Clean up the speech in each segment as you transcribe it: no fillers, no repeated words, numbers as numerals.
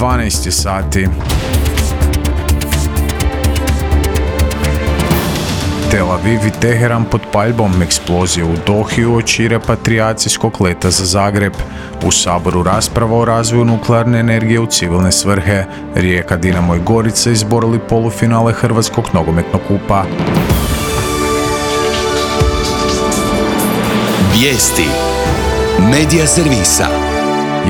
12 sati. Tel Aviv i Teheran pod paljbom, eksplozije u Dohi uoči repatrijacijskog leta za Zagreb. U Saboru rasprava o razvoju nuklearne energije u civilne svrhe. Rijeka, Dinamo i Gorica izborili polufinale Hrvatskog nogometnog kupa. Vijesti Medija servisa.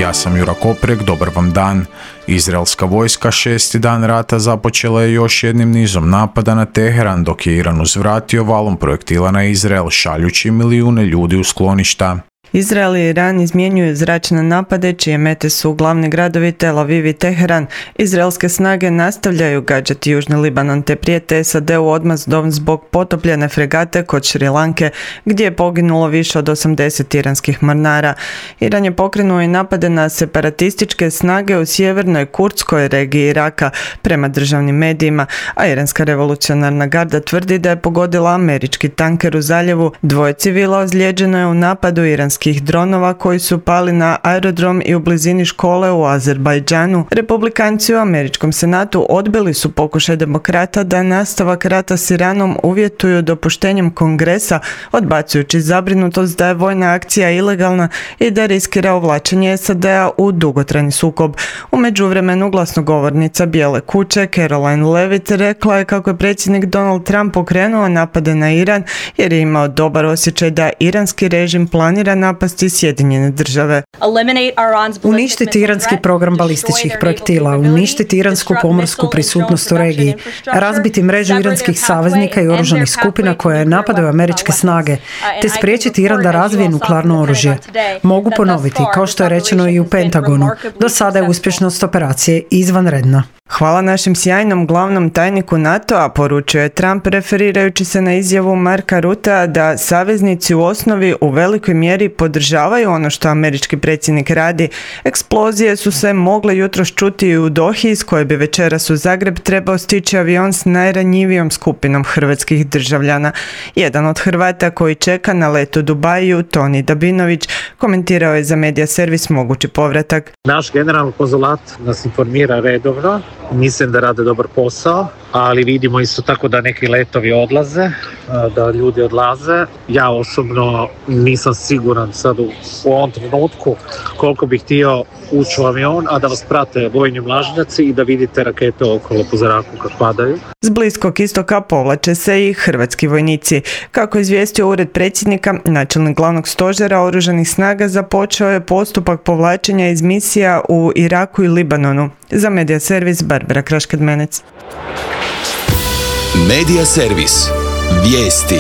Ja sam Jura Koprek, dobar vam dan. Izraelska vojska 6. dan rata započela je još jednim nizom napada na Teheran, dok je Iran uzvratio valom projektila na Izrael, šaljući milijune ljudi u skloništa. Izrael i Iran izmjenjuju zračne napade, čije mete su glavni gradovi Tel Aviv i Teheran. Izraelske snage nastavljaju gađati Južni Libanon te prijete SAD-u odmazdom zbog potopljene fregate kod Šri Lanke, gdje je poginulo više od 80 iranskih mornara. Iran je pokrenuo i napade na separatističke snage u sjevernoj kurdskoj regiji Iraka, prema državnim medijima, a iranska revolucionarna garda tvrdi da je pogodila američki tanker u zaljevu. 2 civila ozlijeđeno je u napadu iranskih dronova koji su pali na aerodrom i u blizini škole u Azerbajdžanu. Republikanci u američkom senatu odbili su pokušaj demokrata da nastavak rata s Iranom uvjetuju dopuštenjem kongresa, odbacujući zabrinutost da je vojna akcija ilegalna i da riskira uvlačenje SAD-a u dugotrajni sukob. U međuvremenu glasnogovornica Bijele kuće Caroline Levitt rekla je kako je predsjednik Donald Trump pokrenuo napade na Iran jer je imao dobar osjećaj da iranski režim planira napasti Sjedinjene države. Uništiti iranski program balističkih projektila, uništiti iransku pomorsku prisutnost u regiji, razbiti mrežu iranskih saveznika i oružanih skupina koje napadaju američke snage, te spriječiti Iran da razvije nuklearno oružje. Mogu ponoviti, kao što je rečeno i u Pentagonu, do sada je uspješnost operacije izvanredna. Hvala našem sjajnom glavnom tajniku NATO-a, poručio je Trump referirajući se na izjavu Marka Rutea da saveznici u osnovi u velikoj mjeri podržavaju ono što američki predsjednik radi. Eksplozije su se mogle jutros čuti i u Dohi, iz koje bi večeras u Zagreb trebao stići avion s najranjivijom skupinom hrvatskih državljana. Jedan od Hrvata koji čeka na let u Dubaju, Toni Dabinović, komentirao je za Medija servis mogući povratak. Naš generalni konzulat nas informira redovno. Mislim da rade dobar posao, ali vidimo isto tako da neki letovi odlaze, da ljudi odlaze. Ja osobno nisam siguran sad u ovom trenutku koliko bih htio ući u avion, a da vas prate vojni mlažnjaci i da vidite rakete okolo po zraku kad padaju. S Bliskog istoka povlače se i hrvatski vojnici. Kako je izvijestio ured predsjednika, načelnik glavnog stožera oružanih snaga započeo je postupak povlačenja iz misija u Iraku i Libanonu. Za Medija servis Barbara Kraškadmenec. Medija servis. Vijesti.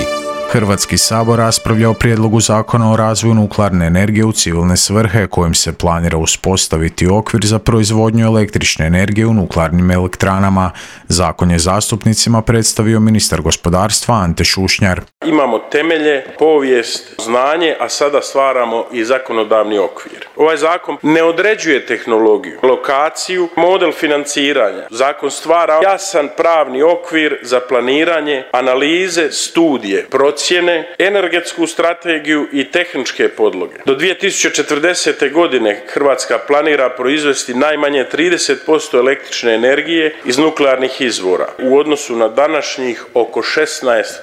Hrvatski sabor raspravlja o prijedlogu zakona o razvoju nuklearne energije u civilne svrhe, kojim se planira uspostaviti okvir za proizvodnju električne energije u nuklearnim elektranama. Zakon je zastupnicima predstavio ministar gospodarstva Ante Šušnjar. Imamo temelje, povijest, znanje, a sada stvaramo i zakonodavni okvir. Ovaj zakon ne određuje tehnologiju, lokaciju, model financiranja. Zakon stvara jasan pravni okvir za planiranje, analize, studije, procjene, energetsku strategiju i tehničke podloge. Do 2040. godine Hrvatska planira proizvesti najmanje 30% električne energije iz nuklearnih izvora, u odnosu na današnjih oko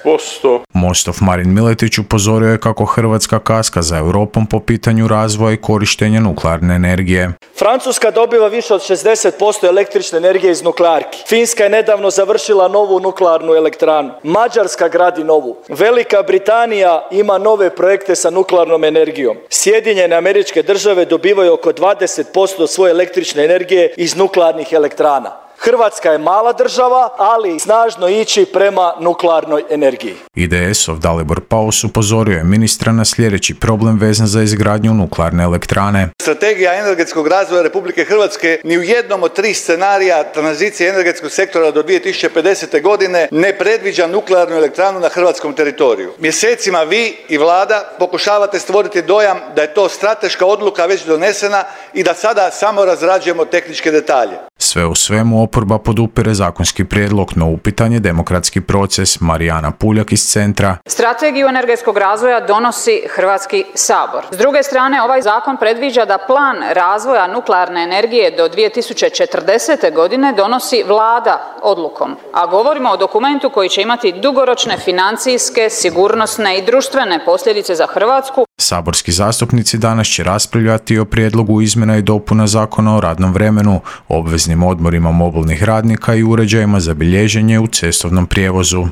16%. Mostov Marin Miletić upozorio je kako Hrvatska kaska za Europom po pitanju razvoja i korištenja nuklearne energije. Francuska dobiva više od 60% električne energije iz nuklearki. Finska je nedavno završila novu nuklearnu elektranu. Mađarska gradi novu. Velika Britanija ima nove projekte sa nuklearnom energijom. Sjedinjene Američke Države dobivaju oko 20% svoje električne energije iz nuklearnih elektrana. Hrvatska je mala država, ali snažno ići prema nuklearnoj energiji. IDS-ov Dalibor Paus upozorio je ministra na sljedeći problem vezan za izgradnju nuklearne elektrane. Strategija energetskog razvoja Republike Hrvatske ni u jednom od 3 scenarija tranzicije energetskog sektora do 2050. godine ne predviđa nuklearnu elektranu na hrvatskom teritoriju. Mjesecima vi i vlada pokušavate stvoriti dojam da je to strateška odluka već donesena i da sada samo razrađujemo tehničke detalje. Sve u svemu oporba podupire zakonski prijedlog, no upitan je demokratski proces. Marijana Puljak iz Centra. Strategiju energetskog razvoja donosi Hrvatski sabor. S druge strane, ovaj zakon predviđa da plan razvoja nuklearne energije do 2040. godine donosi Vlada odlukom, a govorimo o dokumentu koji će imati dugoročne financijske, sigurnosne i društvene posljedice za Hrvatsku. Saborski zastupnici danas će raspravljati o prijedlogu izmjena i dopuna Zakona o radnom vremenu, obveznim odmorima mobilnih radnika i uređajima za bilježenje u cestovnom prijevozu.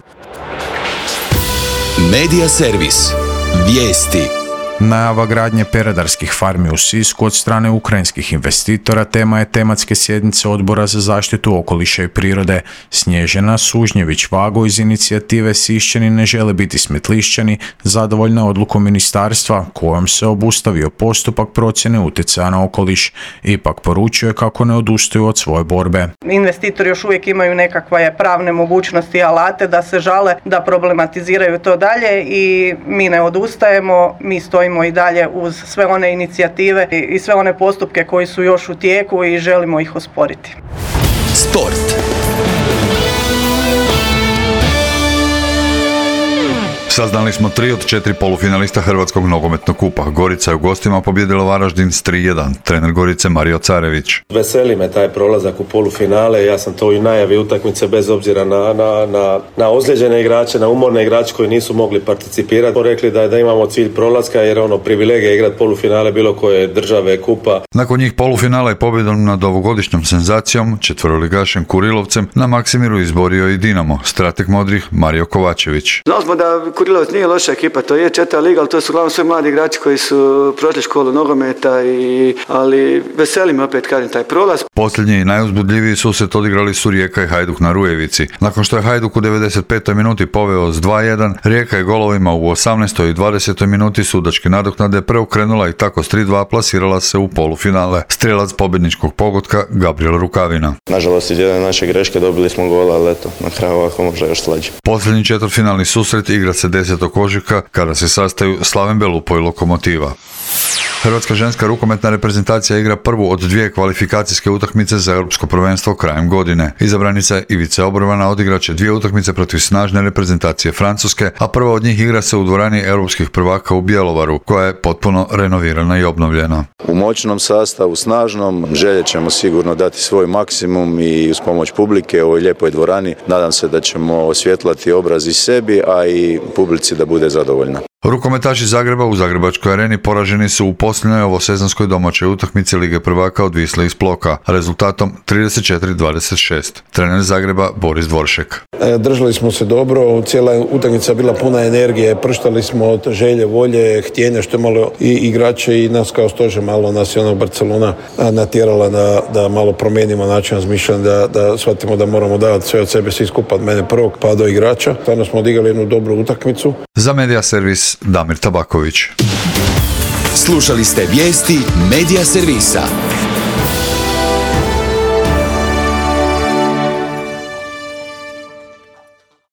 Medija servis. Vijesti. Najava gradnje peradarskih farmi u Sisku od strane ukrajinskih investitora tema je tematske sjednice Odbora za zaštitu okoliša i prirode. Snježana Sužnjević-Vago iz inicijative Sišćani ne žele biti Smetlišćani zadovoljna odlukom ministarstva kojom se obustavio postupak procjene utjecaja na okoliš. Ipak poručuje kako ne odustaju od svoje borbe. Investitori još uvijek imaju nekakve pravne mogućnosti i alate da se žale, da problematiziraju to dalje i mi ne odustajemo, mi stojimo i dalje uz sve one inicijative i sve one postupke koji su još u tijeku i želimo ih osporiti. Sport. Saznali smo 3 od 4 polufinalista Hrvatskog nogometnog kupa. Gorica je u gostima pobijedila Varaždin s 3-1. Trener Gorice Mario Carević. Veseli me taj prolazak u polufinale. Ja sam to i najavi utakmice bez obzira na ozlijeđene igrače, na umorne igrače koji nisu mogli participirati. Smo rekli da imamo cilj prolaska jer privilegija igrati polufinale bilo koje države kupa. Nakon njih polufinala je pobjedom nad ovogodišnjom senzacijom, četveroligašem Kurilovcem, na Maksimiru izborio i Dinamo. Strateg modrih Mario Kovačević. Znali smo da Kurilovac nije loša ekipa, to je 4. liga, ali to su uglavnom sve mladi igrači koji su prošli školu nogometa, ali veseli me opet kažem taj prolaz. Posljednji i najuzbudljiviji susret odigrali su Rijeka i Hajduk na Rujevici. Nakon što je Hajduk u 95. minuti poveo s 2-1, Rijeka je golovima u 18. i 20. minuti sudačke nadoknade preokrenula i tako s 3-2 plasirala se u polufinale. Strijelac pobjedničkog pogotka Gabriel Rukavina. Nažalost, iz jedne naše greške dobili smo gol, ali eto, na kraju ovako može još slađe. Posljednji četvrtfinalni susret igra se 10. ožujka kada se sastaju Slaven Belupo i Lokomotiva. Hrvatska ženska rukometna reprezentacija igra prvu od 2 kvalifikacijske utakmice za europsko prvenstvo krajem godine. Izabranica Ivica Obrvana odigraće 2 utakmice protiv snažne reprezentacije Francuske, a prva od njih igra se u dvorani europskih prvaka u Bjelovaru, koja je potpuno renovirana i obnovljena. U moćnom sastavu, snažnom, željet ćemo sigurno dati svoj maksimum i uz pomoć publike u ovoj lijepoj dvorani. Nadam se da ćemo osvjetlati obraz i sebi, a i publici da bude zadovoljna. Rukometaši Zagreba u Zagrebačkoj areni poraženi su u posljednjoj ovosezonskoj domaćoj utakmici Lige prvaka od Wisle iz Ploka, rezultatom 34-26. Trener Zagreba Boris Dvoršek. Držali smo se dobro, cijela utakmica bila puna energije, prštali smo od želje, volje, htjenja, što je malo i igrače i nas kao stožer, malo nas je Barcelona natjerala da malo promijenimo način razmišljanja, da shvatimo da moramo davati sve od sebe, svi skupa, od mene prvog pa do igrača. Stvarno smo odigrali jednu dobru utakmicu. Za Medija servis Damir Tabaković. Slušali ste vijesti Medija servisa.